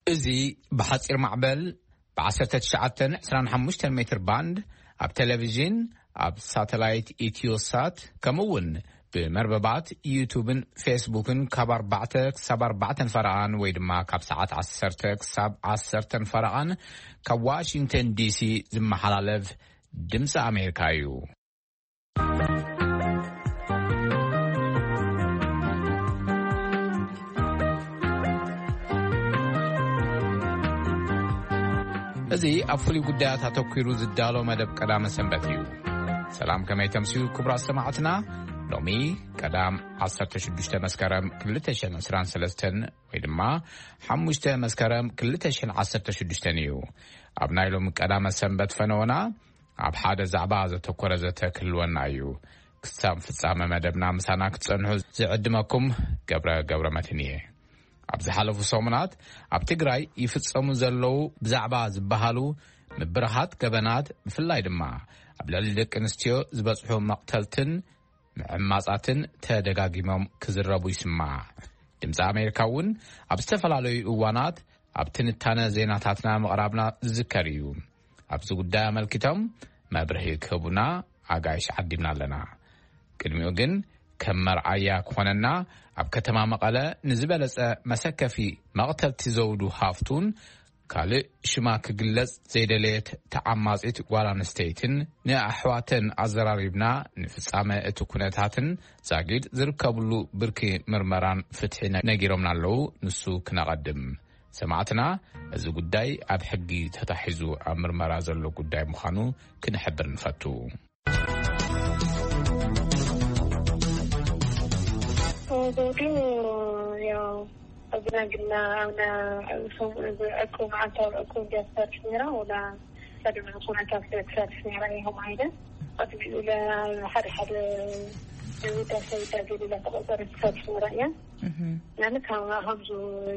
እዚ ብሓጺር ማዕበል ብ1925 ሜትር ባንድ ኣብ ቴሌቪዥን፣ ኣብ ሳተላይት ኢትዮሳት፣ ከምኡ እውን ብመርበባት ዩቱብን ፌስቡክን ካብ ኣርባዕተ ክሳብ ኣርባዕተን ፈረቓን ወይ ድማ ካብ ሰዓት ዓሰርተ ክሳብ ዓሰርተን ፈረቓን ካብ ዋሽንግተን ዲሲ ዝመሓላለፍ ድምፂ ኣሜሪካ እዩ። እዚ ኣብ ፍሉይ ጉዳያት ኣተኲሩ ዝዳሎ መደብ ቀዳመ ሰንበት እዩ። ሰላም፣ ከመይ ተምስዩ ክቡራት ሰማዕትና? ሎሚ ቀዳም 16 መስከረም 2023 ወይ ድማ 5 መስከረም 2016 እዩ። ኣብ ናይ ሎሚ ቀዳመ ሰንበት ፈነወና ኣብ ሓደ ዛዕባ ዘተኮረ ዘተ ክህልወና እዩ። ክሳብ ፍጻመ መደብና ምሳና ክትጸንሑ ዝዕድመኩም ገብረ ገብረ መድህን እየ። ኣብ ዝሓለፉ ሰሙናት ኣብ ትግራይ ይፍጸሙ ዘለዉ ብዛዕባ ዝበሃሉ ምብርሃት ገበናት፣ ብፍላይ ድማ ኣብ ልዕሊ ደቂ ኣንስትዮ ዝበጽሑ መቕተልትን ምዕማጻትን ተደጋጊሞም ክዝረቡ ይስማዕ። ድምፂ ኣሜሪካ እውን ኣብ ዝተፈላለዩ እዋናት ኣብ ትንታነ ዜናታትና ምቕራብና ዝዝከር እዩ። ኣብዚ ጉዳይ ኣመልኪቶም መብርሂ ክህቡና ኣጋይሽ ዓዲምና ኣለና። ቅድሚኡ ግን ከም መርኣያ ክኾነና ኣብ ከተማ መቐለ ንዝበለጸ መሰከፊ መቕተልቲ ዘውዱ ሃፍቱን ካልእ ሽማ ክግለጽ ዘይደለየት ተዓማጺት ጓል ኣንስተይትን ንኣሕዋተን ኣዘራሪብና ንፍጻመ እቲ ኩነታትን ዛጊድ ዝርከብሉ ብርኪ ምርመራን ፍትሒ ነ-፣ ነጊሮምና ኣለዉ። ንሱ ክነቐድም። ሰማዕትና፣ እዚ ጉዳይ ኣብ ሕጊ ተታሒዙ ኣብ ምርመራ ዘሎ ጉዳይ ምዃኑ ክንሕብር ንፈቱ። ዘውዱ ያው ኣብና ግና ኣብና ዕቁብ መዓልታዊ ዕቁብ እንዲያ ትሰርሕ ነይራ ወላ ቀድሚ ኩነታት ስለ ትሰርሕ ነይራ ኢኹም ኣይነ ቅድሚኡ ለ ሓደ ሓደ ውዳሴ ውዳሴ ሌላ ተቆጠረ ትሰርሕ ነይራ እያ። እህ። ያነ ካብ ከምዚ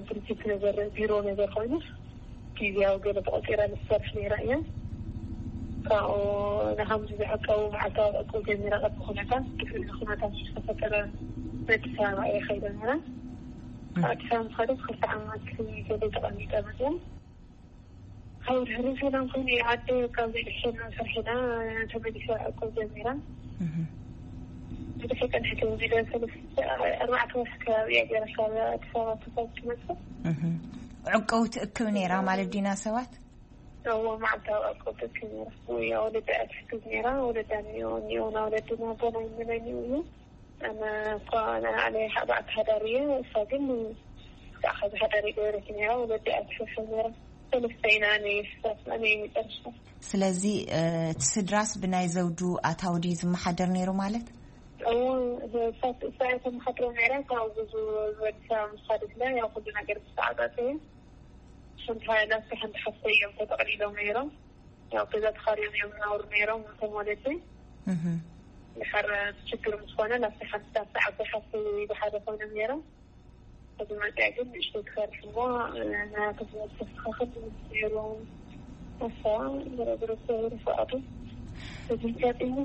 ድርጅት ነገር ቢሮ ነገር ኮይኑ ግዜያዊ ገለ ተቆፂራ ዝሰርሕ ነይራ እያ። ካብኡ ንከምዚ ዝዕቀቡ መዓልታዊ ዕቁብ ጀሚራ ቅድሚ ኩነታት ድሕሪ እዚ ኩነታት ዝተፈጠረ ኣዲስ ኣበባ እየ ከይደ ነይራ። ካብ ኣዲስ ኣበባ ምስ ከደት ክልተ ዓመት ገለ ተቐሚጠ መፅያ። ካብ ድሕሪ ሰላም ኮይኑ ዓዲ ካብ ዘይድሕሸና ስርሕና ተመሊሰ ዕቁብ ጀሚራ። እህ። ብዙሕ ቀንሕቲ ወዲደ ሰለስተ ኣርባዕተ ወርሒ ከባቢ እያ ገይራ ካብ ኣዲስ ኣበባ ተሳብ ትመፅእ። እህ። ዕቁብ ትእክብ ነይራ ማለት ዲና ሰባት? እዎ፣ መዓልታዊ ዕቁብ ትእክብ ነይራ። ወይ ወለዳ እያ ትሕግዝ ነይራ። ወለዳ እኒኦ፣ እኒኦ፣ ና ወለድና ኣቦና ይመነኒኡ እዩ። ኣነ እኳ ንዓለይ ሓባእ ተሃዳሪ እየ፣ እሳ ግን ብዛዕባ ዝሓዳሪ ገበረት ነይራ፣ ወለዲ ኣትሕብሕብ ነይራ። ሰለስተ ኢና፣ ኣነ እየ ስሳት፣ ኣነ እየ መጨረሻ። ስለዚ፣ እ፣ እቲ ስድራስ ብናይ ዘውዱ ኣታዊ ድዩ ዝመሓደር ነይሩ ማለት? እዎ፣ እሳት፣ እሳ እየ ተመሓድሮ ነይራ፣ ካብኡ ብዙ ዝበልሳ ምስ ኻደትላ፣ ያው ኩሉ ነገር ዝተዓጻጸየ። ሓንቲ ሓ-፣ ናብቲ ሓንቲ ሓፍተይ እዮም ተጠቕሊሎም ነይሮም። ያው ገዛ ተኻርዮም እዮም ዝነብሩ ነይሮም፣ እቶም ወለዲ። እህ። ድሓር ችግር ምስ ኾነ፣ ናብቲ ሓንቲ፣ ናብቲ ዓባይ ሓፍተይ ብሓደ ኮይኖም ነይሮም። ሕጂ መፅኣ ግን ንእሽተይ ትፈርሕ እሞ፣ ናያቶም ህይወት ተስተኻኽል ነይሩ። ኣሳ፣ ዝረዝረ እግዚኣብሔር ይፍቐዱ። እዚ ገጢሙ።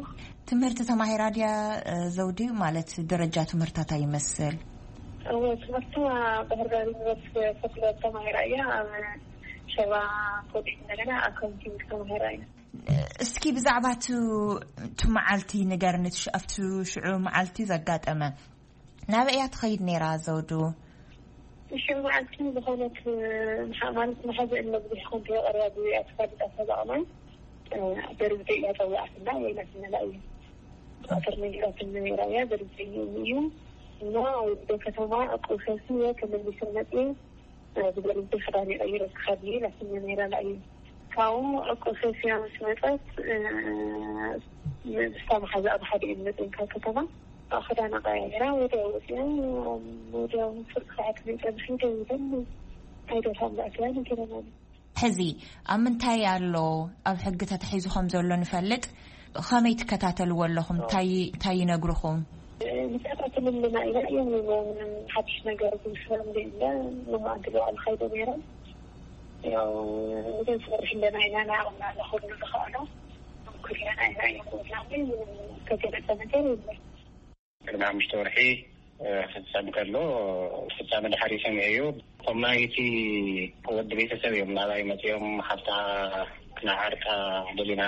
ትምህርቲ ተማሂራ ድያ፣ እ፣ ዘውዲ? ማለት ደረጃ ትምህርታ እንታይ ይመስል? እወ፣ ትምህርታ ባህር ዳር ዩኒቨርሲቲ ፈትለ ተማሂራ እያ። ኣብ ሸባ ኮሌጅ እንደገና ኣካውንቲንግ ተማሂራ እያ። እስኪ ብዛዕባ እቱ፣ እቱ መዓልቲ ንገርኒ፣ እቱ ሽ-፣ ኣብቱ ሽዑ መዓልቲ ዘጋጠመ። ናበይ እያ ትኸይድ ነይራ ዘውዱ? ሽዑ መዓልቲ ዝኾነት፣ ምሓ-፣ ማለት መሓዘ እነ ብዙሕ ኮንቶ ቀርባ ብዙ እያ ትፈልጣ ተዛቕማይ። በርዝደይ እያ ጸዋዕትና፣ የይላትና ላእዩ። ዶክተር ነጊራትና ነይራ እያ፣ በርዝደይ እዩ። እና ወደ ከተማ ዕቁብ ሰብስበ ተመሊሰ መፅየ። ብገርዝደይ ክዳን ይቐይረ ክኸድ እየ ላትና ነይራ ላእዩ። ካብኡ ዕቁብ ሰብስያ ምስ መፀት፣ እ፣ ምስታ መሓዛኣ ብሓደ እየን መፅየን ካብ ከተማ። ኣብ ክዳና ቀያይራ ወዲያው ወፅያ፣ ወዲያው ፍርቂ ሰዓት መይፀ ብኸይደ ይበል ኣይደርሃም ላእትያ ነጊረናኒ። ሕዚ ኣብ ምንታይ ኣሎ? ኣብ ሕጊ ተታሒዙ ከም ዘሎ ንፈልጥ። ከመይ ትከታተልዎ ኣለኹም? እንታይ፣ እንታይ ይነግርኹም? ንከታተለልና ኢና። እዮም ምንም ሓድሽ ነገር ዝመስሎም ዘይብለ። ንማእንቲ ልዋዕል ኸይደ ነይረ። ያው ንገንሰርሕ ኣለና ኢና። ንዓቕምና ንኹሉ ንኽእሎ ኩለና ኢና እዮም ዝብላኒ። ምንም ዝተገለጸ ነገር የለን። ቅድሚ ሓሙሽተ ወርሒ ክፍጸም ከሎ፣ ፍጻመ ድሓር ይሰምዕ እዩ። እቶም ናይቲ ወዲ ቤተሰብ እዮም ናባይ መጺኦም፣ ሓፍታ ክነዓርቃ ደሊና፣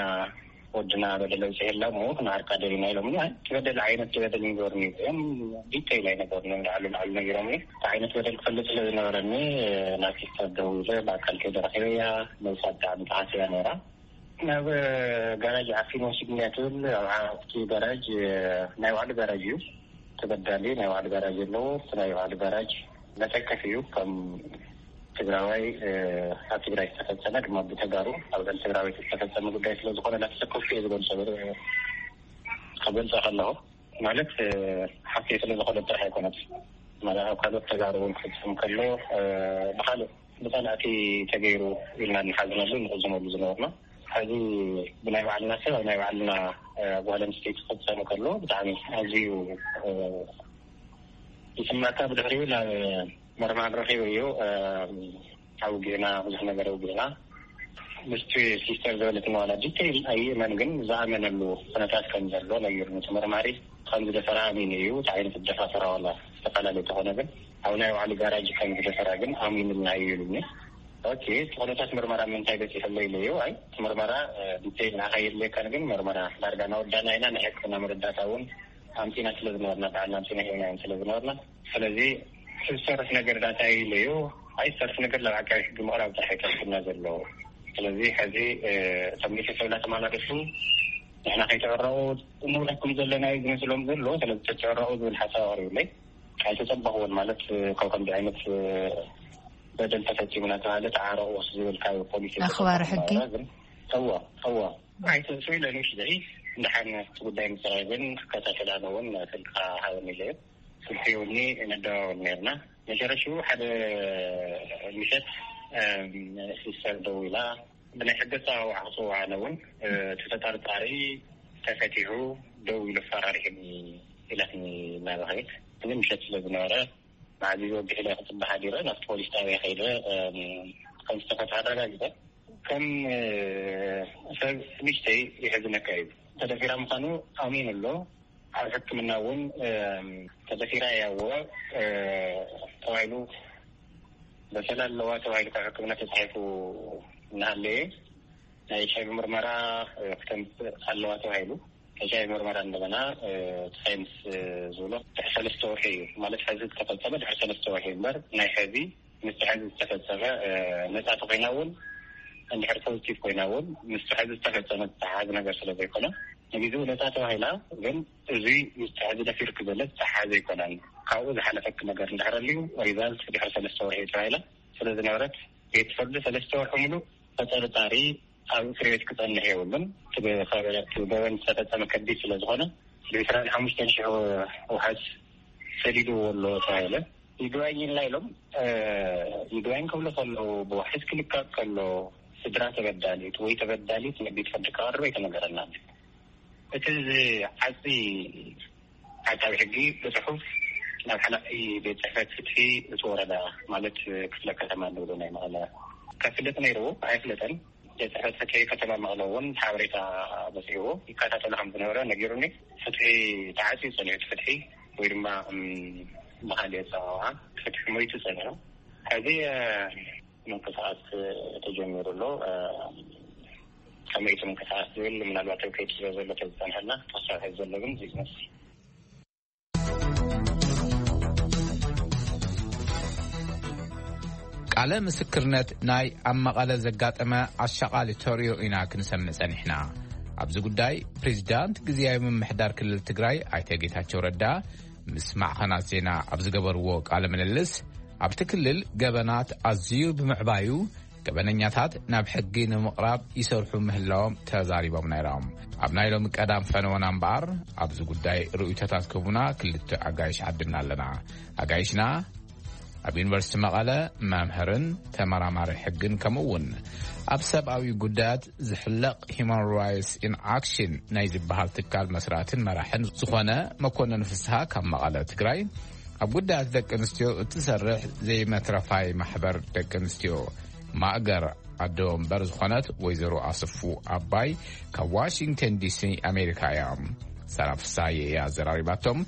ወድና በደል ኣብጺሑ ኣሎ እሞ ክነዓርቃ ደሊና ኢሎምኒ። ኣይ፣ እቲ በደል ዓይነት በደል ንገሩኒ እዮም፣ ዲቴይል ኣይነገሩኒ፣ ላዕሉ ላዕሉ ነጊሮምኒ። እቲ ዓይነት በደል ክፈልጥ ስለ ዝነበረኒ፣ ናብ ሲስተር ደዊለ ብኣካል ከይደ ረኺበያ። ነብሳ ብጣዕሚ ተሓስያ ነይራ። ናብ ጋራጅ ዓፊኑ ወሲድኒያ ትብል። ኣብ ዓቲ ጋራጅ፣ ናይ ባዕሉ ጋራጅ እዩ። ተበዳሊ ናይ ባዕሉ ጋራጅ ኣለዎ። እቲ ናይ ባዕሉ ጋራጅ መተከፍ እዩ። ከም ትግራዋይ፣ ኣብ ትግራይ ዝተፈጸመ ድማ ብተጋሩ ኣብ ልዕሊ ትግራዋይ ዝተፈጸመ ጉዳይ ስለ ዝኾነ፣ ናብ ተሰከፍኩ እየ ዝገልጾ። ክገልጾ ከለኹ ማለት፣ ሓፍተይ ስለ ዝኾነ ጥራሕ ኣይኮነት። ማለት፣ ኣብ ካልኦት ተጋሩ እውን ክፍጸም ከሎ፣ ብኻልእ ብጸላእቲ ተገይሩ ኢልና ንሓዝነሉ ንቕዝመሉ ዝነበርና፣ ሕዚ ብናይ ባዕልና ሰብ ኣብ ናይ ባዕልና፣ እ፣ ጓል ኣንስተይቲ ክፍጸም ከሎ ብጣዕሚ ኣዝዩ፣ እ፣ ይስማዕካ። ብድሕሪኡ ናብ መርማር ረኺበዮ፣ እ፣ ኣውጊዕና፣ ብዙሕ ነገር ኣውጊዕና። ምስቲ ሲስተር ዝበለትና ዋላ ዲቴይል ኣይእመን፣ ግን ዝኣመነሉ ኩነታት ከም ዘሎ ነጊሩኒ። እቲ መርማሪ ከም ዝደፈራ ኣሚኑ እዩ። እቲ ዓይነት ደፋፈራ ዋላ ዝተፈላለየ ተኾነ፣ ግን ኣብ ናይ ባዕሉ ጋራጅ ከም ዝደፈራ ግን ኣሚኑልና እዩ ኢሉኒ። ኦኬ፣ እቲ ኩነታት ምርመራ ምንታይ በፂሑ ኣሎ ኢለዮ። ኣይ፣ እቲ ምርመራ፣ እ፣ ዲቴይል ንዓኻ የድልየካን፣ ግን ምርመራ ዳርጋ እናወዳእና ኢና። ናይ ሕክምና መረዳእታ እውን ኣምፂና ስለ ዝነበርና፣ ባዕልና ኣምፂና ሂብናዮም ስለ ዝነበርና፣ ስለዚ ዝሰርሕ ነገር ዳታ ኢለዮ። ኣይ፣ ዝሰርሕ ነገር ናብ ዓቃቢ ሕጊ ምቕራብ ጥራሕ እዩ ተርፍና ዘሎ። ስለዚ ሕዚ፣ እ፣ እቶም ቤተሰብና ተመላለሱ፣ ንሕና ከይተዕረቑ ንብለኩም ዘለና እዩ ዝመስሎም ዘሎ። ስለዚ ተትዕረቑ ዝብል ሓሳብ ኣቕሪቡለይ። ኣይተጸበኽዎን፣ ማለት፣ ካብ ከምዚ ዓይነት በደል ተፈጺሙ እናተባህለ ተዓረቑ ዝብል ካብ ፖሊስ ኣኽባሪ ሕጊ? ግን እወ፣ እወ። ኣይተንሱ ኢለ ንሽ ዘይ እንደሓን እቲ ጉዳይ ምጽራይ ግን ክከታተል ኣነ እውን ስልካ ሃበኒ ኢለ። ስልኪ ውኒ ንደዋወል ነርና። መጨረሽኡ ሓደ ምሸት፣ እም፣ ሲስተር ደዊላ ብናይ ሕገ ኣጸዋውዓ ክጽውዓ ኣነ እውን፣ እ፣ እቲ ተጠርጣሪ ተፈቲሑ ደው ኢሉ ኣፈራሪሑኒ ኢላትኒ እናበኸየት። እዚ ምሸት ስለ ዝነበረ፣ መዓዝ እዩ ወዲሕ ኢለ ክጽበ ሓዲረ፣ ናብቲ ፖሊስ ጣብያ ከይደ፣ እም፣ ከም ዝተፈትሐ ኣረጋጊጸ። ከም፣ እ፣ ሰብ ንእሽተይ ይሕዝነካ እዩ። ተደፊራ ምዃኑ ኣሚኑ ኣሎ። ኣብ ሕክምና እውን፣ እም፣ ተደፊራ እያ እወ፣ እ፣ ተባሂሉ፣ በሰላ ኣለዋ ተባሂሉ ካብ ሕክምና ተጻሒፉ እናሃለየ፣ ናይ ኤች ኣይ ቪ ምርመራ፣ እ፣ ክተምጽእ ኣለዋ ተባሂሉ። ኤች ኣይ ቪ ምርመራ እንደገና፣ እ፣ ሳይንስ፣ እ፣ ዝብሎ ድሕሪ ሰለስተ ወርሒ እዩ። ማለት፣ ሕዚ ዝተፈጸመ ድሕሪ ሰለስተ ወርሒ እምበር፣ ናይ ሕዚ ምስ ሕዚ ዝተፈጸመ፣ እ፣ ነጻ ተኮይና እውን፣ እንድሕር ፖዚቲቭ ኮይና እውን፣ ምስ ሕዚ ዝተፈጸመ ዝተሓሓዝ ነገር ስለ ዘይኮነ፣ ንግዜኡ ነጻ ተባሂላ። ግን እዚ ምስ ሕዚ ደፊርክ ዘሎ ዝተሓሓዘ ኣይኮነን። ካብኡ ዝሓለፈክ ነገር እንድሕር ኣልዩ፣ ሪዛልት ድሕሪ ሰለስተ ወርሒ ተባሂላ ስለ ዝነበረት፣ ቤት ፍርዲ ሰለስተ ወርሒ ሙሉእ ተጠርጣሪ ኣብ እስር ቤት ክጸንሕ የብሉን። እቲ ገበን ዝተፈጸመ ከቢድ ስለ ዝኾነ፣ ብዕስራን ሓሙሽተን ሽሕ ወሓዝ ሰዲድዎ ኣሎ ተባሂለ። ይግባኝ ኢልና ኢሎም፣ እ፣ ይግባኝ ክብሉ ከለዉ፣ ብዋሕስ ክልቀቕ ከሎ፣ ስድራ ተበዳሊት ወይ ተበዳሊት ንቤት ፍርዲ ክቐርብ ኣይተነገረናን። እቲ ዝዓጺ ዓቃቢ ሕጊ ብጽሑፍ ናብ ሓላፊ ቤት ጽሕፈት ፍትሒ እቲ ወረዳ፣ ማለት ክፍለ ከተማ እንብሎ ናይ መቐለ፣ ከፍልጥ ነይርዎ፣ ኣይፍለጠን። ቤት ጽሕፈት ፍትሒ ከተማ መቐለ እውን ሓበሬታ በጺሕዎ ይከታተሎ ከም ዝነበረ ነጊሩኒ። ፍትሒ ተዓጽዩ ጸኒሑ፣ እቲ ፍትሒ ወይ ድማ፣ እም፣ ብኻልእ ኣጸዋውዓ ፍትሒ ሞይቱ ጸኒሑ። ሕዚ፣ እ፣ ምንቅስቓስ ተጀሚሩ ኣሎ። እ፣ ከመይ እቲ ምንቅስቓስ ዝብል ምናልባት ኣብ ከይዲ ስለ ዘሎ ተዝጸንሐልና፣ ተወሳኺ ዘሎ ግን እዚ ዝመስል። ቃለ ምስክርነት ናይ ኣብ መቐለ ዘጋጠመ ኣሻቓሊ ተርእዮ ኢና ክንሰምዕ ጸኒሕና። ኣብዚ ጉዳይ ፕሬዚዳንት ግዝያዊ ምምሕዳር ክልል ትግራይ ኣይተ ጌታቸው ረዳ ምስ ማዕኸናት ዜና ኣብ ዝገበርዎ ቃለ ምልልስ፣ ኣብቲ ክልል ገበናት ኣዝዩ ብምዕባዩ፣ ገበነኛታት ናብ ሕጊ ንምቕራብ ይሰርሑ ምህላዎም ተዛሪቦም ነይሮም። ኣብ ናይ ሎሚ ቀዳም ፈነወና እምበኣር፣ ኣብዚ ጉዳይ ርእይቶታት ክህቡና ክልተ ኣጋይሽ ዓዲምና ኣለና። ኣጋይሽና፣ ኣብ ዩኒቨርሲቲ መቐለ መምህርን ተመራማሪ ሕግን፣ ከምኡ እውን ኣብ ሰብኣዊ ጉዳያት ዝሕለቕ ሂማን ራይትስ ኢን ኣክሽን ናይ ዝበሃል ትካል መስራትን መራሕን ዝኾነ መኮንን ፍስሃ ካብ መቐለ፣ ትግራይ፣ ኣብ ጉዳያት ደቂ ኣንስትዮ እትሰርሕ ዘይመትረፋይ ማሕበር ደቂ ኣንስትዮ ማእገር ኣዶ ወንበር ዝኾነት ወይዘሮ ኣስፉ ኣባይ ካብ ዋሽንግተን ዲሲ ኣሜሪካ እያ። ሰላም ፍስሃየ እያ ኣዘራሪባቶም።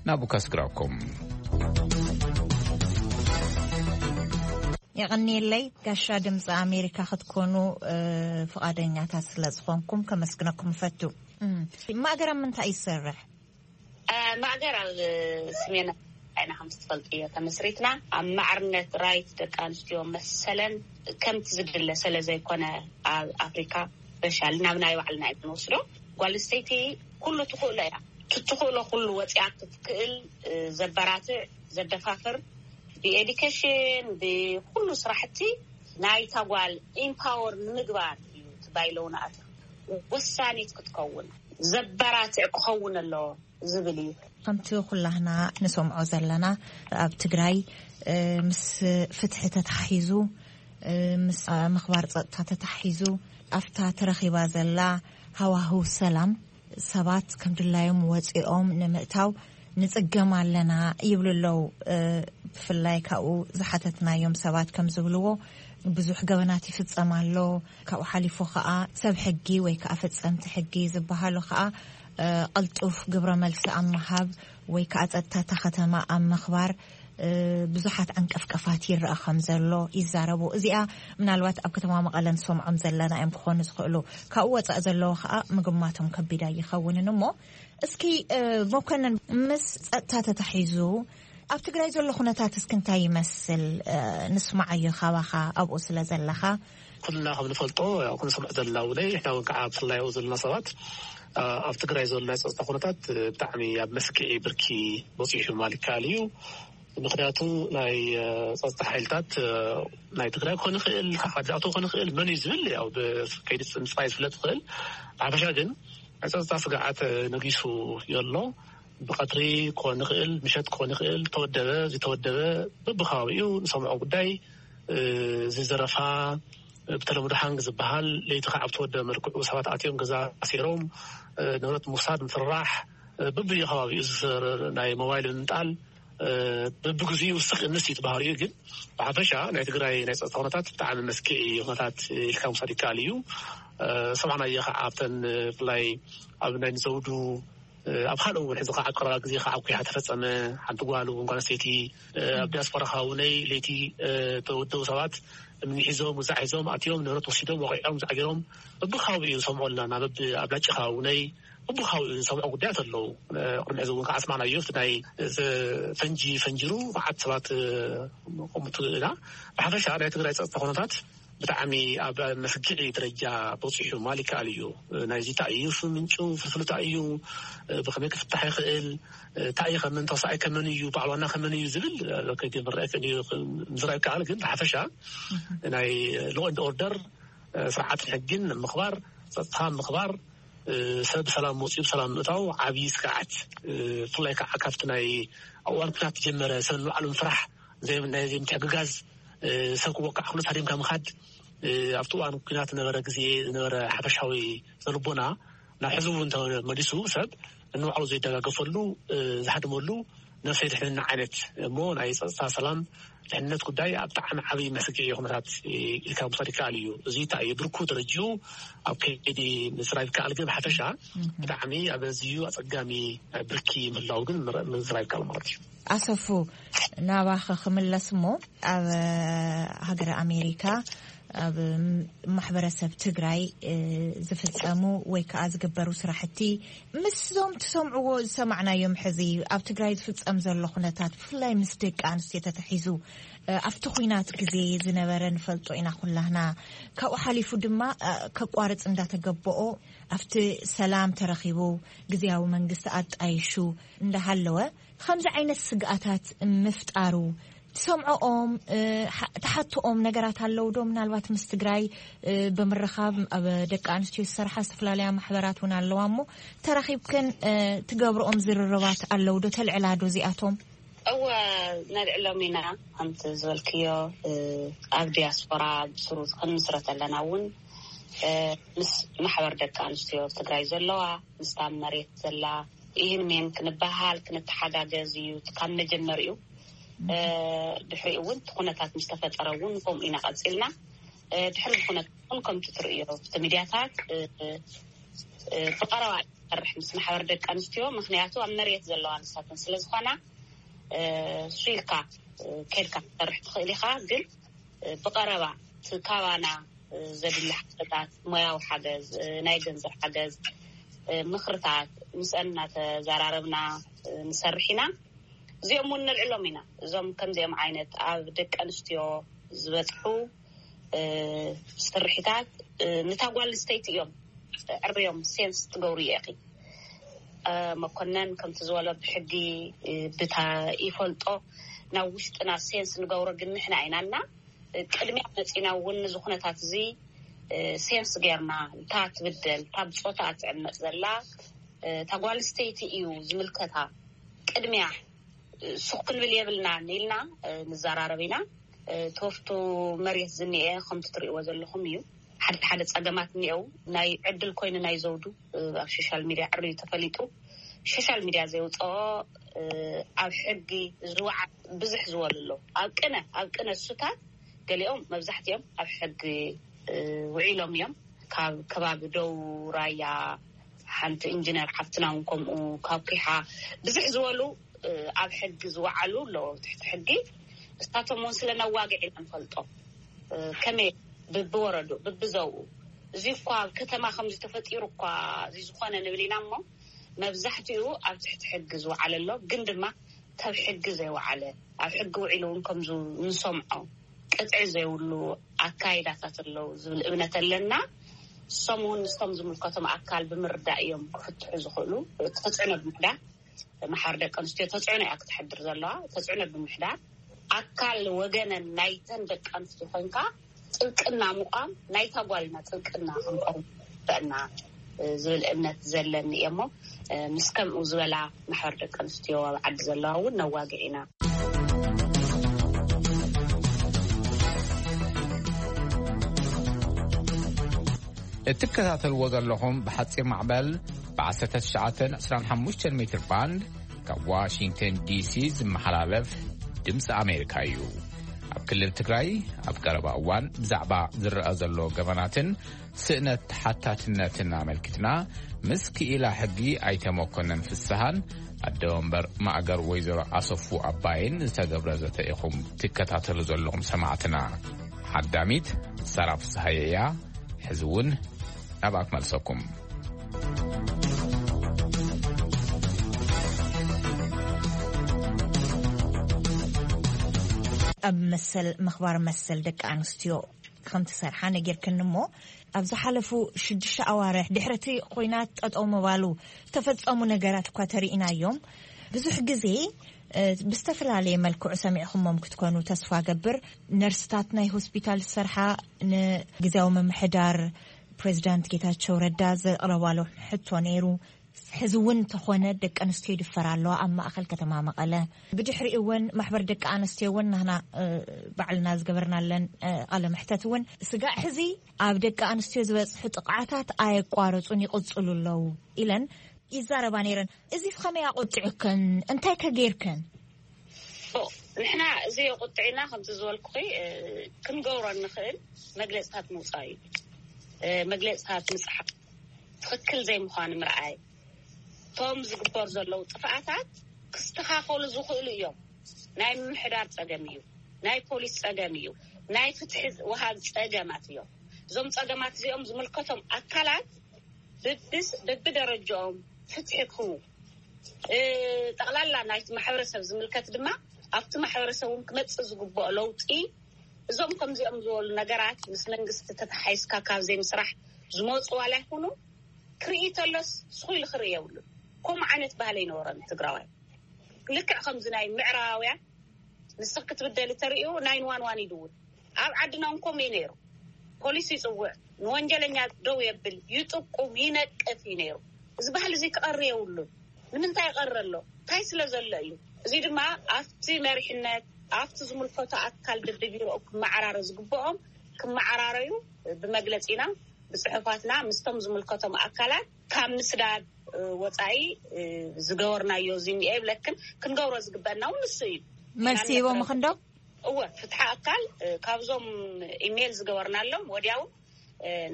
ናብኡ ከስግረኩም። የቐንየለይ ጋሻ ድምፂ ኣሜሪካ ክትኮኑ ፍቓደኛታት ስለ ዝኾንኩም ከመስግነኩም እፈቱ። ማእገር ኣብ ምንታይ ይሰርሕ? ማእገር ኣብ ስሜን ኢና ከም ትፈልጥዮ ተመስሪትና ኣብ ማዕርነት ራይት ደቂ ኣንስትዮ መሰለን ከምቲ ዝድለ ስለ ዘይኮነ ኣብ ኣፍሪካ በሻል ናብ ናይ ባዕልና እዩ ንወስዶ። ጓል ኣንስተይቲ ኩሉ ትኽእሎ እያ። ትትኽእሎ ኩሉ ወፂኣ ክትክእል ዘበራትዕ ዘደፋፍር ብኤዲኬሽን ብኩሉ ስራሕቲ ናይታ ጓል ኢምፓወር ንምግባር እዩ ትባይለውና ኣት ወሳኒት ክትከውን ዘበራትዕ ክኸውን ኣለዎ ዝብል እዩ። ከምቲ ኩላህና ንሰምዖ ዘለና ኣብ ትግራይ ምስ ፍትሒ ተታሒዙ ምስ ምኽባር ፀጥታ ተታሒዙ ኣብታ ተረኺባ ዘላ ሃዋህው ሰላም ሰባት ከም ድላዮም ወፂኦም ንምእታው ንፅገም ኣለና ይብሉ ኣለዉ። ብፍላይ ካብኡ ዝሓተትናዮም ሰባት ከም ዝብልዎ ብዙሕ ገበናት ይፍፀም ኣሎ። ካብኡ ሓሊፉ ከዓ ሰብ ሕጊ ወይ ከዓ ፈፀምቲ ሕጊ ዝበሃሉ ከዓ ቀልጡፍ ግብረ መልሲ ኣብ ምሃብ ወይ ከዓ ፀጥታ እታ ከተማ ኣብ ምኽባር ብዙሓት ዓንቀፍቀፋት ይረኣ ከም ዘሎ ይዛረቡ። እዚኣ ምናልባት ኣብ ከተማ መቐለ ንሰምዖም ዘለና እዮም ክኾኑ ዝኽእሉ። ካብኡ ወፃእ ዘለዎ ከዓ ምግማቶም ከቢድ ኣይኸውንን እሞ እስኪ መኮነን ምስ ፀጥታ ተታሒዙ ኣብ ትግራይ ዘሎ ኩነታት እስኪ እንታይ ይመስል? ንስማዓዮ ካባኻ ኣብኡ ስለ ዘለኻ። ኩልና ከም ንፈልጦ ያው ክንሰምዕ ዘለና እውን ንሕና እውን ከዓ ብፍላይ ኣብኡ ዘለና ሰባት ኣብ ትግራይ ዘሎ ናይ ፀጥታ ኩነታት ብጣዕሚ ኣብ መስክዒ ብርኪ በፂሑ ማለት ይከኣል እዩ። ምክንያቱ ናይ ፀጥታ ሓይልታት ናይ ትግራይ ክኾን ይኽእል ካብ ዓዲ ኣቶ ክኾን ይኽእል መን እዩ ዝብል ያው ብከይዲ ምፅራይ ዝፍለጥ ይኽእል። ብሓፈሻ ግን ናይ ፀጥታ ስግዓት ነጊሱ የሎ። ብቐትሪ ክኾን ይኽእል ምሸት ክኾን ይኽእል ተወደበ ዝተወደበ በብከባቢኡ ንሰምዖ ጉዳይ ዝዘረፋ ብተለምዶ ሃንግ ዝበሃል ለይቲ ከዓ ብተወደበ መልክዑ ሰባት ኣትዮም ገዛ ኣሲሮም ንብረት ምውሳድ ምፍርራሕ በብየ ከባቢኡ ናይ ሞባይል ምምጣል በብግዚኡ ስቕ እንስ ይትባህር እዩ። ግን ብሓፈሻ ናይ ትግራይ ናይ ፀጥታ ኩነታት ብጣዕሚ መስክዒ ኩነታት ኢልካ ምውሳድ ይከኣል እዩ። ሰማዕናዮ ከዓ ኣብተን ብፍላይ ኣብ ናይ ንዘውዱ ኣብ ካልእ እውን ሕዚ ከዓ ቀረባ ግዜ ከዓ ኣኩያ ተፈፀመ ሓንቲ ጓል እውን ጓል ኣንስተይቲ ኣብ ዲያስፖራ ከባቢ ነይ ለይቲ ተወደቡ ሰባት እምኒ ሒዞም ውዛዕ ሒዞም ኣትዮም ንብረት ወሲዶም ወቂዖም ዛዕጊሮም በብከባቢ እዩ ንሰምዖ ኣለና ናብ ኣብ ላጭ ከባቢ ነይ በብከባቢ እዩ ንሰምዖ ጉዳያት ኣለዉ። ቅድሚ ሕዚ እውን ከዓ ኣስማዕናዮ እቲ ናይ ፈንጂ ፈንጂሩ መዓት ሰባት ቆምቱ ኢና። ብሓፈሻ ናይ ትግራይ ፀጥታ ኩነታት ብጣዕሚ ኣብ መስግዒ ደረጃ በፂሑ ማል ይከኣል እዩ። ናይዚ እንታይ እዩ ምንጩ ፍልፍሉ እንታይ እዩ ብከመይ ክፍታሕ ይኽእል እንታይ እዩ ከመን ተወሳኣይ ከመን እዩ በዓል ዋና ከመን እዩ ዝብል ከይዲ ምርኣይ ክእል እዩ ምዝራእ ይከኣል። ግን ብሓፈሻ ናይ ሎ ኤንድ ኦርደር ስርዓትን ሕግን ምኽባር ፀጥታ ምኽባር ሰብ ብሰላም ወፂኡ ብሰላም ምእታው ዓብዪ ስግዓት ብፍላይ ከዓ ካብቲ ናይ ኣዋን ኩናት ጀመረ ሰብ ንባዕሉ ምፍራሕ ዘይምትሕግጋዝ ሰብ ክወቃዕ ክሉ ሃዲምካ ምኻድ ኣብቲ እዋን ኩናት ዝነበረ ግዜ ዝነበረ ሓፈሻዊ ዘልቦና ናብ ሕዚ እውን ተመሊሱ ሰብ ንባዕሉ ዘይደጋገፈሉ ዝሃድመሉ ነፍሰይ ድሕንና ዓይነት እሞ ናይ ፀፅታ ሰላም ድሕንነት ጉዳይ ኣብ ብጣዕሚ ዓብዪ መስግዒ ኩነታት ኢልካ ምሳድ ይከኣል እዩ። እዚ እንታይ እዩ ብርኩ ደረጅኡ ኣብ ከይዲ ምስራብ ይከኣል ግን ብሓፈሻ ብጣዕሚ ኣብ ኣዝዩ ኣፀጋሚ ብርኪ ምህላው ግን ምዝራብ ይከኣል ማለት እዩ። ኣሰፉ ናባኸ ክምለስ እሞ ኣብ ሃገረ ኣሜሪካ ኣብ ማሕበረሰብ ትግራይ ዝፍፀሙ ወይ ከዓ ዝግበሩ ስራሕቲ ምስዞም ትሰምዕዎ ዝሰማዕናዮም ሕዚ ኣብ ትግራይ ዝፍፀም ዘሎ ኩነታት ብፍላይ ምስ ደቂ ኣንስትዮ ተተሒዙ ኣብቲ ኩናት ግዜ ዝነበረ ንፈልጦ ኢና ኩላህና። ካብኡ ሓሊፉ ድማ ከቋርፅ እንዳተገበኦ ኣብቲ ሰላም ተረኺቡ ግዜያዊ መንግስቲ ኣጣይሹ እንዳሃለወ ከምዚ ዓይነት ስግኣታት ምፍጣሩ ትሰምዖኦም ትሓትኦም ነገራት ኣለዉ ዶ? ምናልባት ምስ ትግራይ ብምርኻብ ኣብ ደቂ ኣንስትዮ ዝሰርሓ ዝተፈላለያ ማሕበራት እውን ኣለዋ እሞ ተራኺብክን ትገብርኦም ዝርርባት ኣለዉ ዶ? ተልዕላ ዶ እዚኣቶም? እወ ነልዕሎም ኢና። ከምቲ ዝበልክዮ ኣብ ዲያስፖራ ብስሩ ክንምስረት ኣለና እውን ምስ ማሕበር ደቂ ኣንስትዮ ትግራይ ዘለዋ ምስታ መሬት ዘላ ይህን ሜን ክንበሃል ክንተሓጋገዝ እዩ ካብ መጀመሪኡ። ድሕሪኡ እውን እቲ ኩነታት ምስ ተፈጠረ እውን ከምኡ ኢና ቀፂልና። ድሕሪ ዝኩነት እውን ከምቲ ትርእዮ እቲ ሚድያታት ብቀረባ ይሰርሕ ምስ ማሕበር ደቂ ኣንስትዮ ምክንያቱ ኣብ መሬት ዘለዋ ንሳተን ስለዝኮና እ፣ ሱይልካ እ፣ ከድካ ክትሰርሕ ትኽእል ኢኻ። ግን እ፣ ብቐረባ እቲ ካባና እ፣ ዘድሊ ሓገዛት፣ ሞያዊ ሓገዝ፣ እ፣ ናይ ገንዘብ ሓገዝ፣ እ፣ ምኽርታት ምስአን እናተዘራረብና እ፣ ንሰርሕ ኢና። እዚኦም እውን ነልዕሎም ኢና። እዞም ከምዚኦም ዓይነት ኣብ ደቂ ኣንስትዮ ዝበፅሑ እ፣ ስርሒታት እ፣ ንታ ጓል ኣንስተይቲ እዮም ዕርዮም ሴንስ ትገብሩ እየ። መኮነን ከምቲ ዝበሎ ብሕጊ እ፣ ብታ ይፈልጦ ናብ ውሽጥና ሴንስ ንገብሮ ግን ንሕና ኢና እና እ፣ ቅድሚያ መፂና እውን ንዚ ኩነታት እዚ እ፣ ሴንስ ጌርና እታ ትብደል እታ ብፆታ ትዕመፅ ዘላ እ፣ እታ ጓል ኣንስተይቲ እዩ ዝምልከታ ቅድሚያ ሱቕ ክንብል የብልናን ኢልና እ፣ ንዘራረብ ኢና። እ፣ ተወፍቱ መሬት ዝኒኤ ከምቲ ትርእይዎ ዘለኹም እዩ። ሓደ ሓደ ጸገማት እኒኤው። ናይ ዕድል ኮይኑ ናይ ዘውዱ እ፣ ኣብ ሶሻል ሚድያ ዕርዩ ተፈሊጡ። ሶሻል ሚድያ ዘውፅኦ እ፣ ኣብ ሕጊ ዝወዓ ብዙሕ ዝበሉ ኣለዉ። ኣብ ቅነ ኣብ ቅነ እሱታት ገሊኦም መብዛሕትኦም ኣብ ሕጊ እ፣ ውዒሎም እዮም። ካብ ከባቢ ደው ራያ ሓንቲ ኢንጂነር ሓፍትና እውን ከምኡ ካብ ኪሓ ብዙሕ ዝበሉ እ፣ ኣብ ሕጊ ዝወዓሉ ኣለዎ ትሕቲ ሕጊ። እሳቶም እውን ስለ ነዋግዕ ኢና ንፈልጦ እ፣ ከመይ ብብወረዱ ብብዘውኡ እዚ እኳ ኣብ ከተማ ከምዚ ተፈጢሩ እኳ እዚ ዝኾነ ንብል ኢና እሞ መብዛሕትኡ ኣብ ትሕቲ ሕጊ ዝወዓለ ኣሎ። ግን ድማ ካብ ሕጊ ዘይወዓለ ኣብ ሕጊ ውዒሉ እውን ከምዚ ንሰምዖ ቅጥዒ ዘይብሉ ኣካይዳታት ኣለዉ ዝብል እምነት ኣለና። እሶም እውን ንሶም ዝምልከቶም ኣካል ብምርዳእ እዮም ክፍትሑ ዝኽእሉ። ተፅዕኖ ብምሕዳር ማሕበር ደቂ ኣንስትዮ ተፅዕኖ እያ ክትሕድር ዘለዋ። ተፅዕኖ ብምሕዳር ኣካል ወገነን ናይተን ደቂ ኣንስትዮ ኮይንካ ጥብቅና ምቋም ናይታ ጓልና ጥብቅና ክንቆም ይግበአና ዝብል እምነት ዘለኒ እየ እሞ ምስ ከምኡ ዝበላ ማሕበር ደቂ ኣንስትዮ ኣብ ዓዲ ዘለዋ እውን ነዋግዕ ኢና። እትከታተልዎ ዘለኹም ብሓፂር ማዕበል ብ1925 ሜትር ባንድ ካብ ዋሽንግተን ዲሲ ዝመሓላለፍ ድምፂ ኣሜሪካ እዩ። ኣብ ክልል ትግራይ ኣብ ቀረባ እዋን ብዛዕባ ዝረኣ ዘሎ ገበናትን ስእነት ተሓታትነትን ኣመልኪትና ምስ ክኢላ ሕጊ ኣይተ መኮነን ፍስሃን ኣደ ወንበር ማእገር ወይዘሮ ኣሰፉ ኣባይን ዝተገብረ ዘተ ኢኹም ትከታተሉ ዘለኹም ሰማዕትና። ሓዳሚት ሳራ ፍስሃየ እያ። ሕዚ እውን ናብኣ ክመልሰኩም። ኣብ መሰል ምኽባር መሰል ደቂ ኣንስትዮ ከም ትሰርሓ ነጊርክኒ እሞ ኣብ ዝሓለፉ ሽዱሽተ ኣዋርሕ ድሕሪ እቲ ኹናት ጠጠው ምባሉ ዝተፈጸሙ ነገራት እኳ ተሪኢናዮም። ብዙሕ ግዜ ብዝተፈላለየ መልክዑ ሰሚዕኹሞም ክትኮኑ ተስፋ ገብር። ነርስታት ናይ ሆስፒታል ዝሰርሓ ንግዝያዊ ምምሕዳር ፕሬዚዳንት ጌታቸው ረዳ ዘቕረባሉ ሕቶ ነይሩ። ሕዚ እውን እንተኾነ ደቂ ኣንስትዮ ይድፈራ ኣለዋ ኣብ ማእኸል ከተማ መቐለ። ብድሕሪኡ እውን ማሕበር ደቂ ኣንስትዮ እውን ናህና ባዕልና ዝገበርናለን ቃለ ምሕተት እውን ስጋዕ ሕዚ ኣብ ደቂ ኣንስትዮ ዝበፅሑ ጥቕዓታት ኣየቋረፁን ይቕፅሉ ኣለዉ ኢለን ይዛረባ ነይረን። እዚ ከመይ ኣቆጢዑከን? እንታይ ከ ጌርክን? ንሕና እዚ የቁጥዕና ከምቲ ዝበልኩኺ ክንገብሮ እንኽእል መግለፅታት ምውፃእ እዩ። መግለፅታት ምፅሓፍ ትኽክል ዘይምዃኑ ምርኣይ። እቶም ዝግበር ዘለዉ ጥፍኣታት ክስተኻኸሉ ዝኽእሉ እዮም። ናይ ምምሕዳር ፀገም እዩ። ናይ ፖሊስ ፀገም እዩ። ናይ ፍትሒ ወሃብ ፀገማት እዮም። እዞም ፀገማት እዚኦም ዝምልከቶም ኣካላት ብብደረጃኦም ፍትሒ ክህቡ፣ ጠቕላላ ናይቲ ማሕበረሰብ ዝምልከት ድማ ኣብቲ ማሕበረሰብ እውን ክመፅእ ዝግብኦ ለውጢ እዞም ከምዚኦም ዝበሉ ነገራት ምስ መንግስቲ ተተሓይዝካ ካብ ዘይምስራሕ ዝመፁ ዋላ ይኹኑ ክርኢ ተሎስ ስኹ ኢሉ ክርኢ የብሉን። ከምኡ ዓይነት ባህሊ ኣይነበሮን ትግራዋይ። ልክዕ ከምዚ ናይ ምዕራባውያን ንስኽ ክትብደሊ ተርእዩ ናይን ዋን ዋን ይድውል። ኣብ ዓድና እውን ከምኡ እዩ ነይሩ። ፖሊስ ይፅውዕ፣ ንወንጀለኛ ደው የብል፣ ይጥቁም፣ ይነቅፍ እዩ ነይሩ። እዚ ባህሊ እዚ ክቐሪ የብሉን። ንምንታይ ይቐሪ ኣሎ? እንታይ ስለ ዘሎ እዩ? እዚ ድማ ኣብቲ መሪሕነት ኣብቲ ዝምልከቶ ኣካል ደደቢሮኡ ክመዓራረ ዝግብኦም ክመዓራረዩ ብመግለፂና ብፅሑፋትና ምስቶም ዝምልከቶም ኣካላት ካብ ምስዳድ ወፃኢ ዝገበርናዮ እዚ እኒኦ ይብለክን ክንገብሮ ዝግበአና እውን ንሱ እዩ። መልሲ ሂቦም ክንዶ? እወ ፍትሓ ኣካል ካብዞም ኢሜይል ዝገበርናሎም ወዲያው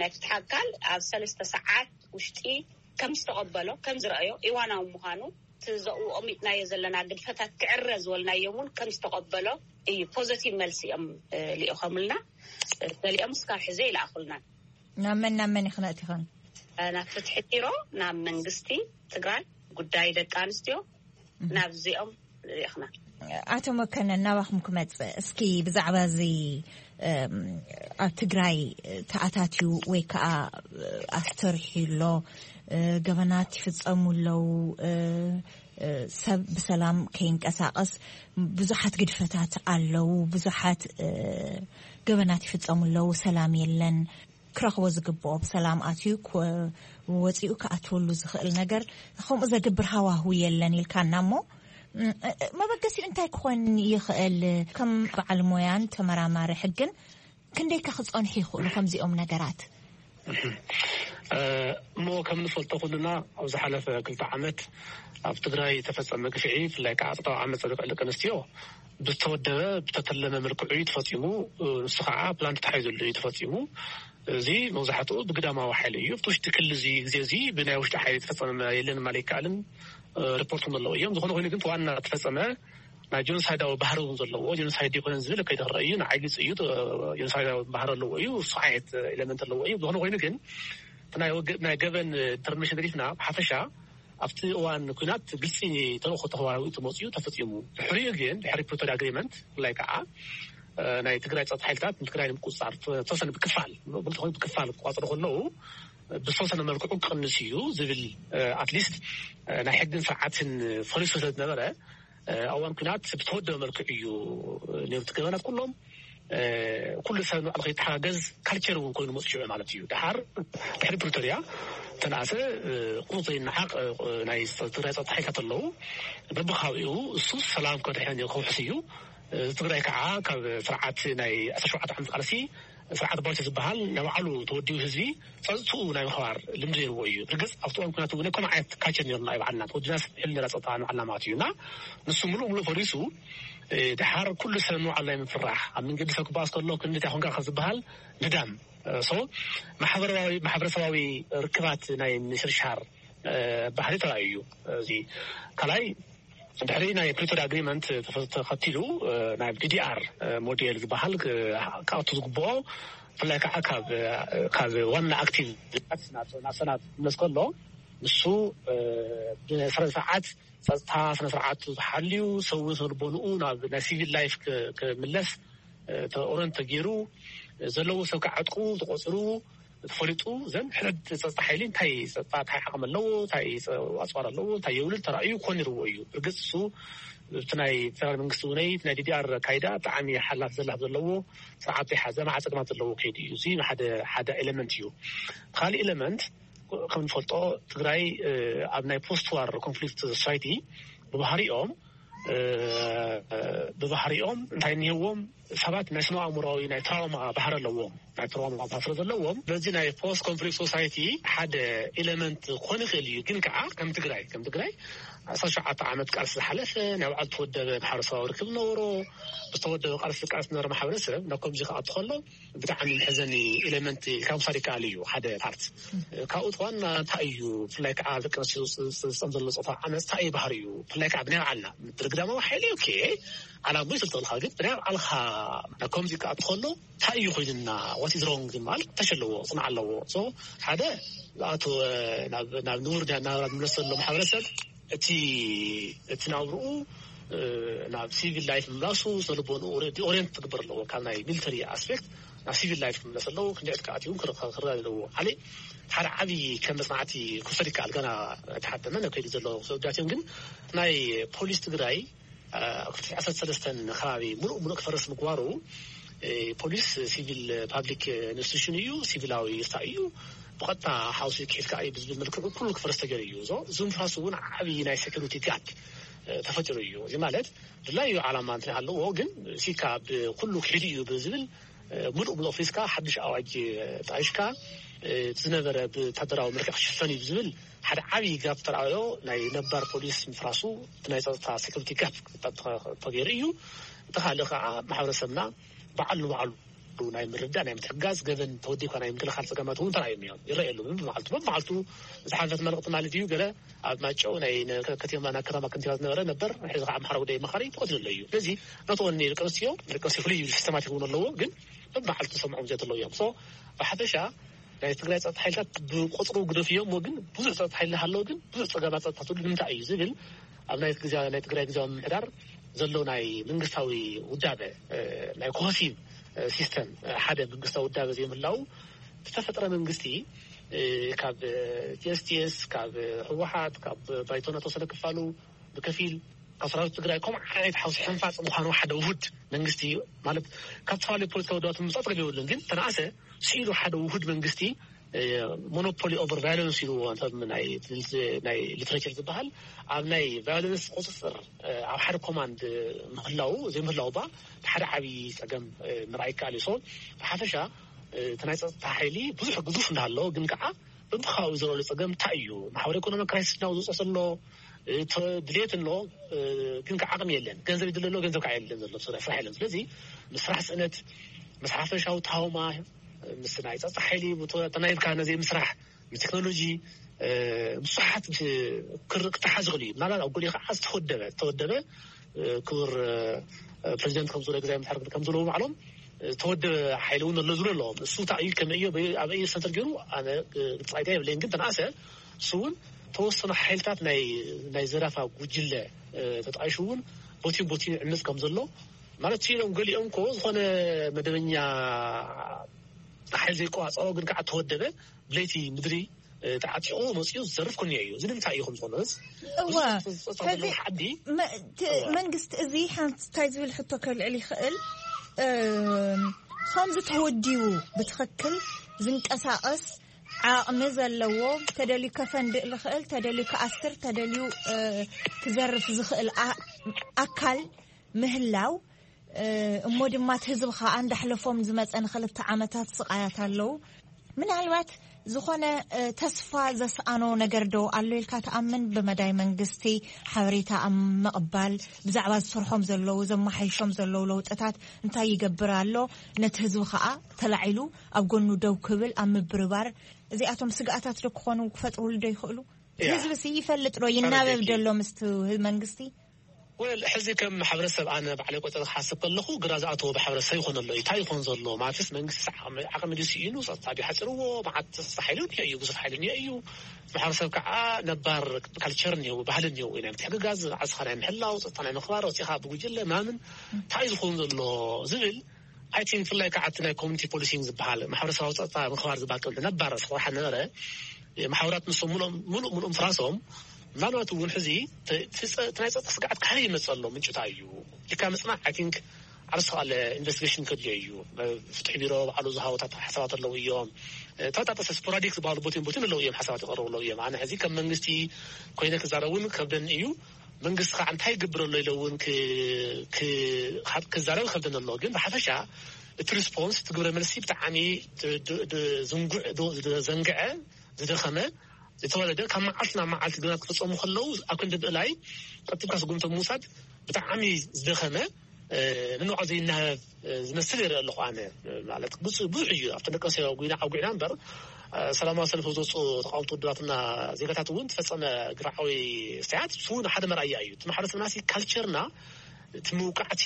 ናይ ፍትሓ ኣካል ኣብ ሰለስተ ሰዓት ውሽጢ ከም ዝተቐበሎ ከም ዝረኣዮ እዋናዊ ምዃኑ ዘቕውኦም ኢልናዮ ዘለና ግድፈታት ክዕረ ዝበልናዮም እውን ከም ዝተቐበሎ እዩ። ፖዘቲቭ መልሲ እዮም ልኢኾምልና። ገሊኦም እስካብ ሕዚ ይልኣኹልና። ናብ መን ናብ መን ይኽነእት ይኾን? ናብ ፍትሒ ቢሮ፣ ናብ መንግስቲ ትግራይ፣ ጉዳይ ደቂ ኣንስትዮ፣ ናብዚኦም ልኢኽና። ኣቶ መከነን፣ ናባኹም ክመጽእ፣ እስኪ ብዛዕባ እዚ ኣብ ትግራይ ተኣታትዩ ወይ ከዓ ኣስተርሕዩ ኣሎ፣ ገበናት ይፍጸሙ ኣለዉ፣ ሰብ ብሰላም ከይንቀሳቐስ ብዙሓት ግድፈታት ኣለዉ፣ ብዙሓት ገበናት ይፍጸሙ ኣለዉ፣ ሰላም የለን፣ ክረኽቦ ዝግብኦ ብሰላም ኣትዩ ወፂኡ ክኣትወሉ ዝኽእል ነገር ከምኡ ዘግብር ሃዋሁ የለን ኢልካና። እሞ መበገሲኡ እንታይ ክኾን ይኽእል? ከም በዓል ሞያን ተመራማሪ ሕግን ክንደይካ ክፀንሑ ይኽእሉ ከምዚኦም ነገራት? እሞ ከም ንፈልጦ ኩልና ኣብ ዝሓለፈ ክልተ ዓመት ኣብ ትግራይ ተፈጸመ ግፍዒ፣ ብፍላይ ከዓ ፆታዊ ዓመፅ ኣብ ልዕሊ ደቂ ኣንስትዮ ብዝተወደበ ብተተለመ መልክዑ እዩ ተፈፂሙ። ንሱ ከዓ ፕላን ተታሒዙሉ እዩ ተፈፂሙ። እዚ መብዛሕትኡ ብግዳማዊ ሓይሊ እዩ። ኣብቲ ውሽጢ ክሊ እዚ ግዜ እዚ ብናይ ውሽጢ ሓይሊ ተፈፀመ የለን ማለት ኣይከኣልን። ሪፖርት እውን ኣለዎ እዮም። ዝኾነ ኮይኑ ግን ዋና ተፈፀመ ናይ ጀኖሳይዳዊ ባህሪ እውን ዘለዎ፣ ጀኖሳይድ ይኮነን ዝብል ከይተረአ እዩ። ንዓይ ግልፂ እዩ። ጀኖሳይዳዊ ባህሪ ኣለዎ እዩ። እሱ ዓይነት ኤለመንት ኣለዎ እዩ። ዝኾነ ኮይኑ ግን እቲ ናይ ወገ- ናይ ገበን ኢንተርቬንሽን ሪፍና ብሓፈሻ ኣብቲ እዋን ኩናት ግልፂ ተልእኮ ተዋሂቡ ተመፅዩ ተፈፂሙ። ድሕሪኡ ግን ድሕሪ ፕሪቶሪያ ኣግሪመንት ብፍላይ ከዓ ናይ ትግራይ ፀጥታ ሓይልታት ንትግራይ ንምቁፅፃር ተወሰነ ብክፋል ብልቲ ኮይኑ ብክፋል ክቋፅሩ ከለዉ ብዝተወሰነ መልክዑ ክቕንስ እዩ ዝብል ኣትሊስት ናይ ሕግን ስርዓትን ፈሪሱ ስለ ዝነበረ ኣብ እዋን ኩናት ብተወደበ መልክዑ እዩ ነይሩ። እቲ ገበናት ኩሎም ኩሉ ሰብ ንባዕሉ ከይተሓጋገዝ ካልቸር እውን ኮይኑ መፅኡ ማለት እዩ። ድሓር ድሕሪ ፕሪቶሪያ ተነኣሰ ቁሩብ ዘይነሓቕ ናይ ትግራይ ፀጥታ ሓይልታት ኣለዉ። በብከባቢኡ እሱ ሰላም ከድሕን ከውሕስ እዩ። ትግራይ ከዓ ካብ ስርዓት ናይ ዓሰርተ ሸውዓተ ዓመት ቃልሲ ስርዓት ባልቻ ዝበሃል ናይ ባዕሉ ተወዲቡ ህዝቢ ፀጥትኡ ናይ ምኽባር ልምዲ ነይርዎ እዩ። ርግፅ ኣብቲ እዋን ኩናት እውን ከም ዓይነት ካልቸር ነይሩና እዩ ባዕልና ተወዲና ሕል ነራ ፀጥታ ንባዕልና ማለት እዩ። እና ንሱ ሙሉእ ሙሉእ ፈሪሱ ድሓር ኩሉ ሰብ ንባዕሉ ናይ ምፍራሕ ኣብ መንገዲ ሰብ ክበኣስ ከሎ ክንደይ ኮንካ ዝበሃል ንዳም ሶ ማሕበራዊ ማሕበረሰባዊ ርክባት ናይ ምሽርሻር ባህሪ ተራእዩ እዩ። እዚ ካልኣይ ድሕሪ ናይ ፕሪቶሪያ ኣግሪመንት ተኸቲሉ ናይ ዲዲኣር ሞዴል ዝበሃል ክኣቱ ዝግብኦ ብፍላይ ከዓ ካብ ዋና ኣክቲቭ ናብ ሰናት ክምለስ ከሎ ንሱ ብስነ ስርዓት ፀጥታ ስነ ስርዓቱ ተሓልዩ ሰው ስነ ልቦንኡ ናብ ናይ ሲቪል ላይፍ ክምለስ ኦረንት ተገይሩ ዘለዎ ሰብ ክዓጥቁ ተቆፅሩ ተፈሊጡ ዘን ሕድ ፀጥታ ሓይሊ እንታይ ፀጥታ እንታይ ዓቕሚ ኣለዎ እንታይ ኣፅዋር ኣለዎ እንታይ የውልድ ተራእዩ ኮን ይርዎ እዩ። እርግፅ እሱ እቲ ናይ ፌደራል መንግስቲ እውነይ ናይ ዲዲኣር ኣካይዳ ብጣዕሚ ሓላት ዘላፍ ዘለዎ ስርዓት ዘይሓዘ መዓ ፀገማት ዘለዎ ከይዱ እዩ። እዚ ሓደ ሓደ ኤለመንት እዩ። ካልእ ኤለመንት ከም ንፈልጦ ትግራይ ኣብ ናይ ፖስት ዋር ኮንፍሊክት ሶሳይቲ ብባህሪኦም ብባህሪኦም እንታይ እኒህዎም ሰባት ናይ ስነ ኣእምሮዊ ናይ ትራውማ ባህሪ ኣለዎም። ናይ ትራውማ ባህሪ ስለ ዘለዎም በዚ ናይ ፖስት ኮንፍሊክት ሶሳይቲ ሓደ ኤለመንት ክኾን ይኽእል እዩ። ግን ከዓ ከም ትግራይ ከም ትግራይ ዓሰርተ ሸውዓተ ዓመት ቃልሲ ዝሓለፈ ናይ ባዕሉ ተወደበ ማሕበረሰባዊ ርክብ ነበሮ። ዝተወደበ ቃልሲ ቃልሲ ነበረ ማሕበረሰብ ናብ ከምዚ ክኣቱ ከሎ ብጣዕሚ መሕዘኒ ኤለመንት ኢልካ ምሳድ ይከኣል እዩ። ሓደ ፓርት ካብኡ እቲ ዋና እንታይ እዩ ብፍላይ ከዓ ደቂ ኣንስትዮ ዝፀም ዘሎ ፆታ ዓመፅ እንታይ እዩ ባህሪ እዩ ብፍላይ ከዓ ብናይ ባዕልና ብርግዳማዊ ሓይሊ ኦኬ ዓላሙ ይስልጠልካ ግን ብናይ ባዕልካ ናብ ከምዚ ክኣቱ ከሎ እንታይ እዩ ኮይንና what is wrong ግን ማለት ተሽ ኣለዎ ፅንዓ ኣለዎ። ሓደ ዝኣተወ ናብ ንቡር ናብራ ዝምለስ ዘሎ ማሕበረሰብ እቲ እቲ ናብርኡ ናብ ሲቪል ላይፍ ምምላሱ ስነልቦንኡ ኦሪንት ክግበር ኣለዎ። ካብ ናይ ሚሊተሪ ኣስፔክት ናብ ሲቪል ላይፍ ክምለስ ኣለዎ። ክንዲ ዕጥቂ ኣትዩ ክረዳድ ኣለዎ። ሓደ ዓብዪ ከም መፅናዕቲ ክውሰድ ይከኣል። ገና ኣይተሓተመን ኣብ ከይዲ ዘሎ ክሰዳት እዮም። ግን ናይ ፖሊስ ትግራይ ኣብ ክልተ ዓሰርተ ሰለስተን ከባቢ ሙሉእ ሙሉእ ክፈርስ ምግባሩ ፖሊስ ሲቪል ፓብሊክ ኢንስቲቱሽን እዩ፣ ሲቪላዊ ይርታ እዩ፣ ብቐጥታ ሓውሲ ክሒድካ እዩ ብዝብል መልክዑ ኩሉ ክፈርስ ተገይሩ እዩ። እዞ እዚ ምፍራሱ እውን ዓብዪ ናይ ሴኩሪቲ ጋፕ ተፈጢሩ እዩ። እዚ ማለት ድላዩ ዓላማ እንትን ኣለዎ ግን ሲካ ብኩሉ ክሒዱ እዩ ብዝብል ሙሉእ ሙሉእ ፍሪስካ ሓድሽ ኣዋጅ ጣይሽካ ዝነበረ ብወታደራዊ መልክዕ ክሽፈን እዩ ብዝብል ሓደ ዓብዪ ጋፕ ተረኣዮ ናይ ነባር ፖሊስ ምፍራሱ እቲ ናይ ፀጥታ ሴኩሪቲ ጋፕ ተገይሩ እዩ። እቲ ካልእ ከዓ ማሕበረሰብና በዓል ንባዕሉ ናይ ምርዳእ፣ ናይ ምትሕጋዝ፣ ገበን ተወዲብካ ናይ ምክልኻል ጸገማት እውን ተራእዮም እዮም፣ ይረኣየሉ። በብመዓልቱ በብመዓልቱ ዝሓለፈት መልእኽቲ ማለት እዩ። ገለ ኣብ ማይጨው ናይ ነ- ከተማ፣ ናይ ከተማ ከንቲባ ዝነበረ ነበር፣ ሕዚ ከዓ ኣምሓራ ጉዳይ መኻሪ ተቐትሉ ኣሎ እዩ። ስለዚ ናተወኒ ደቂ ኣንስትዮ፣ ደቂ ኣንስትዮ ፍሉይ ሲስተማቲክ እውን ኣለዎ፣ ግን በብመዓልቱ ሰምዖም ዘት ኣለዉ እዮም። ሶ ብሓፈሻ ናይ ትግራይ ጸጥታ ሓይልታት ብቁጽሩ ግደፍዮ እሞ፣ ግን ብዙሕ ጸጥታ ሓይሊ ሃለዎ፣ ግን ብዙሕ ጸገማት ጸጥታ ትብሉ ንምንታይ እዩ ዝብል፣ ኣብ ናይ ግዜ ናይ ትግራይ ግዜያዊ ምምሕዳር ዘሎ ናይ መንግስታዊ ውዳበ፣ ናይ ኮሆሲቭ ሲስተም፣ ሓደ መንግስታዊ ውዳበ ዘይምህላው ዝተፈጥረ መንግስቲ፣ ካብ ቲኤስቲኤስ፣ ካብ ህወሓት፣ ካብ ባይቶና ተወሰነ ክፋሉ ብከፊል ካብ ሰራዊት ትግራይ ከምኡ ዓይነት ሓውሲ ሕንፋፅ ምዃኑ ሓደ ውሁድ መንግስቲ ማለት ካብ ዝተፈላለዩ ፖለቲካዊ ውዳባት ምምፃእ ፀገም የብሉን። ግን ተነኣሰ ስኢሉ ሓደ ውሁድ መንግስቲ ሞኖፖሊ ኦቨር ቫዮለንስ ኢሉ ናይ ሊትሬቸር ዝበሃል ኣብ ናይ ቫዮለንስ ቁፅፅር ኣብ ሓደ ኮማንድ ምህላው ዘይምህላው ባ ሓደ ዓብዪ ፀገም ምርኣይ ይከኣል እዩ። ብሓፈሻ እቲ ናይ ፀጥታ ሓይሊ ብዙሕ ግዙፍ እንዳሃለዎ ግን ከዓ በብከባቢኡ ዝረኣሉ ፀገም እንታይ እዩ? ማሕበረ ኢኮኖሚ ክራይሲስ ናብ ዝውፅእ ዘሎ ድሌት ኣሎ፣ ግን ከዓ ዓቕሚ የለን። ገንዘብ ይድለ ኣሎ፣ ገንዘብ ከዓ የለን ዘሎ ስራሕ የለን። ስለዚ ምስራሕ ስእነት፣ ምስ ሓፈሻዊ ታውማ፣ ምስ ናይ ፀጥታ ሓይሊ ተናይብካ ነዚ ምስራሕ፣ ምስ ቴክኖሎጂ ብዙሓት ክተሓዝ ይኽእል እዩ። ምናልባት ኣብ ጎሊ ከዓ ዝተወደበ ዝተወደበ ክቡር ፕሬዚደንት ከምዝብሎ ግዛይ ምትሕር ከምዝብለዎ ባዕሎም ዝተወደበ ሓይሊ እውን ኣሎ ዝብሉ ኣለዎም። እሱ እንታይ እዩ ከመይ እዩ ኣበይ ሰንተር ገይሩ ኣነ ግልፂ ኣይዳ የብለይን። ግን ተነኣሰ እሱ እውን ተወሰኑ ሓይልታት ናይ ናይ ዘረፋ ጉጅለ ተጣይሹ እውን ቦቲን ቦቲን ይዕምፅ ከም ዘሎ ማለት ኢሎም ገሊኦም እኮ ዝኾነ መደበኛ ሓይሊ ዘይቆፃፀሮ ግን ከዓ ተወደበ ብለይቲ ምድሪ ተዓጢቑ መፂኡ ዝዘርፍ ኩኒ እዩ። እዚ ንምንታይ እዩ ከም ዝኾነ እዋ፣ ሕዚ ዓዲ መንግስቲ እዚ ሓንቲ እንታይ ዝብል ሕቶ ከልዕል ይኽእል? ከምዚ ተወዲቡ ብትኽክል ዝንቀሳቐስ ዓቕሚ ዘለዎ፣ ተደልዩ ከፈንድእ ዝኽእል፣ ተደልዩ ክኣስር፣ ተደልዩ ክዘርፍ ዝኽእል ኣካል ምህላው፣ እሞ ድማ እቲ ህዝቢ ከዓ እንዳሕለፎም ዝመፀ ንክልተ ዓመታት ስቓያት ኣለዉ። ምናልባት ዝኾነ ተስፋ ዘስኣኖ ነገር ዶ ኣሎ ኢልካ ትኣምን? ብመዳይ መንግስቲ ሓበሬታ ኣብ ምቕባል፣ ብዛዕባ ዝሰርሖም ዘለዉ፣ ዘመሓይሾም ዘለዉ ለውጥታት እንታይ ይገብር ኣሎ፣ ነቲ ህዝቢ ከዓ ተላዒሉ ኣብ ጎኑ ደው ክብል ኣብ ምብርባር፣ እዚኣቶም ስግኣታት ዶ ክኾኑ ክፈጥሩሉ ዶ ይኽእሉ? ህዝቢ ሲ ይፈልጥ ዶ ይናበብ ዶ ኣሎ ምስቲ መንግስቲ? ወል ሕዚ ከም ማሕበረሰብ ኣነ ባዕለይ ቆፀር ክሓስብ ከለኹ ግራ ዝኣተዎ ማሕበረሰብ ይኾን ኣሎ እዩ። እንታይ ይኾን ዘሎ ማለትስ መንግስቲ ዓቕሚ ድዩ ስኢኑ፣ ፀጥታ ድዩ ሓፂርዎ? መዓት ሓይሊ እኒኦ እዩ፣ ብዙሕ ሓይሊ እኒኦ እዩ። ማሕበረሰብ ከዓ ነባር ካልቸር እኒኦ፣ ባህሊ እኒኦ እዩ፣ ናይ ምትሕግጋዝ፣ ዓስኻ ናይ ምሕላው፣ ፀጥታ ናይ ምኽባር፣ ወፂኻ ብጉጅለ ምናምን እንታይ እዩ ዝኸውን ዘሎ ዝብል ኣይ ቲንክ ብፍላይ ከዓ እቲ ናይ ኮሚኒቲ ፖሊሲንግ ዝበሃል ማሕበረሰባዊ ፀጥታ ምኽባር ዝበሃል ቅድሚ ነባር ስርሓ ነበረ። ማሕበራት ንሶም ሙሉእ ሙሉእ ፍራሶም ምናልባት እውን ሕዚ ናይ ፀጥታ ስግዓት ካበይ ይመፅእ ኣሎ ምንጭታ እዩ ኢልካ ምፅናዕ ኣይ ቲንክ ዓርስ ካለ ኢንቨስቲጌሽን ከድልዮ እዩ። ፍትሒ ቢሮ ባዕሉ ዝሃቦታት ሓሳባት ኣለዉ እዮም። ተበጣጠሰ ስፖራዲክ ዝበሃሉ ቦቲን ቦቲን ኣለዉ እዮም ሓሳባት ይቐርቡ ኣለዉ እዮም። ኣነ ሕዚ ከም መንግስቲ ኮይነ ክዛረብ እውን ከብደኒ እዩ። መንግስቲ ከዓ እንታይ ይገብር ኣሎ ኢለ እውን ክዛረብ ከብደኒ ኣሎ። ግን ብሓፈሻ እቲ ሪስፖንስ እቲ ግብረ መልሲ ብጣዕሚ ዝንጉዕ ዘንግዐ ዝደኸመ ዝተወለደ ካብ መዓልቲ ናብ መዓልቲ ግብራት ክፍፀሙ ከለዉ ኣብ ክንዲ ምእላይ ቀጥብካ ስጉምቲ ምውሳድ ብጣዕሚ ዝደኸመ ንንዖ ዘይናበብ ዝመስል ይርኢ ኣለኹ ኣነ። ማለት ብዙሕ እዩ ኣብቲ ደቂ ኣንስትዮ ጉይና ዓጉዕና እምበር ሰላማዊ ሰልፊ ዝወፁ ተቃወምቲ ውድባትና ዜጋታት እውን ዝፈፀመ ግፍዓዊ ስያት እሱ እውን ሓደ መርኣያ እዩ። እቲ ማሕበረሰብና ሲ ካልቸርና እቲ ምውቃዕቲ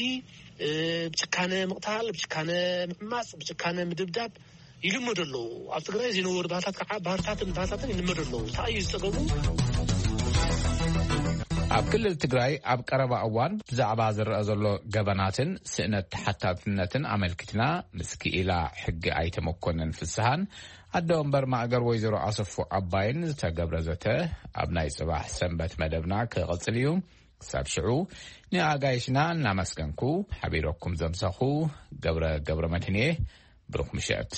ብጭካነ ምቕታል፣ ብጭካነ ምዕማፅ፣ ብጭካነ ምድብዳብ ይልመዱ ኣለዉ። ኣብ ትግራይ ዝነበሩ ባህልታት ከዓ ባህርታትን ባህልታትን ይልመዱ ኣለዉ። እንታይ እዩ ዝፀገሙ? ኣብ ክልል ትግራይ ኣብ ቀረባ እዋን ብዛዕባ ዝረአ ዘሎ ገበናትን ስእነት ተሓታትነትን ኣመልኪትና ምስ ክኢላ ሕጊ ኣይተ መኮንን ፍስሃን ኣደ ወንበር ማእገር ወይዘሮ ኣሰፉ ዓባይን ዝተገብረ ዘተ ኣብ ናይ ፅባሕ ሰንበት መደብና ክቕፅል እዩ። ክሳብ ሽዑ ንኣጋይሽና እናመስገንኩ ሓቢረኩም ዘምሰኹ ገብረ ገብረ መድህን እየ። ብሩኽ ምሸት።